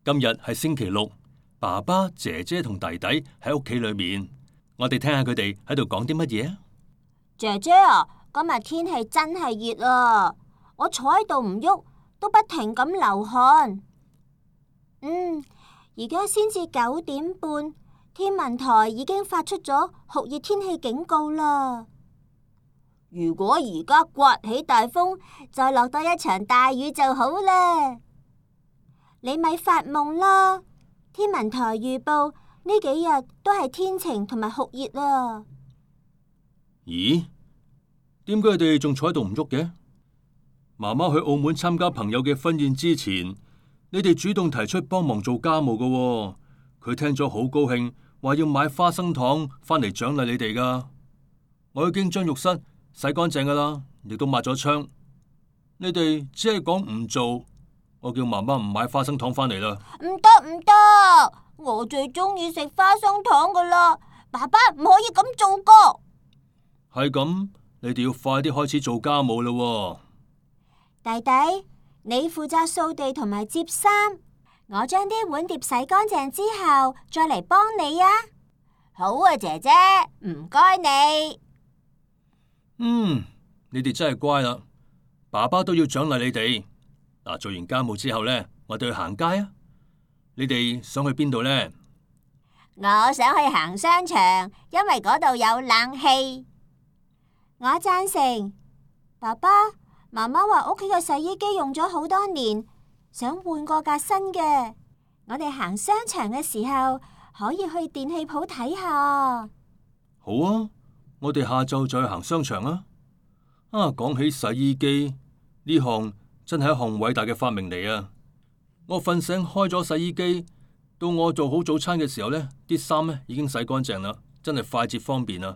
今日係星期六，爸爸、姐姐同弟弟喺屋企裏面，我哋聽下佢哋喺度講啲乜嘢啊？姐姐啊，今日天氣真係熱啊！我坐喺度唔喐，都不停咁流汗。而家先至9點半，天文台已經發出咗酷熱天氣警告啦。如果而家刮起大風，再落多一場大雨就好啦。你咪發夢啦！天文台預報呢幾日都係天晴同埋酷熱啊。咦？點解佢哋仲坐喺度唔喐嘅？媽媽去澳門參加朋友嘅婚宴之前，你哋主動提出幫忙做家務㗎喎。佢聽咗好高興，話要買花生糖返嚟獎勵你哋㗎。我已經將浴室洗乾淨㗎啦，亦都抹咗窗。你哋只係講唔做，我叫媽媽唔買花生糖返嚟啦。唔得唔得，我最中意食花生糖㗎啦，爸爸唔可以咁做㗎。係咁，你哋要快啲開始做家務啦喎。弟弟，你負責掃地同埋摺衫，我將啲碗碟洗乾淨之後，再嚟幫你啊。好啊，姐姐，唔該你。你哋真係乖啦，爸爸都要獎勵你哋。嗱，做完家務之後呢，我哋去行街啊。你哋想去邊度呢？我想去行商場，因為嗰度有冷氣。我贊成。爸爸媽媽話屋企嘅洗衣機用咗好多年，想換過架新嘅。我哋行商場嘅時候可以去電器鋪睇下。好啊，我哋下晝再去行商場啊。講起洗衣機呢項真係一項偉大嘅發明嚟啊！我瞓醒開咗洗衣機，到我做好早餐嘅時候呢，啲衫呢已經洗乾淨啦，真係快捷方便啊！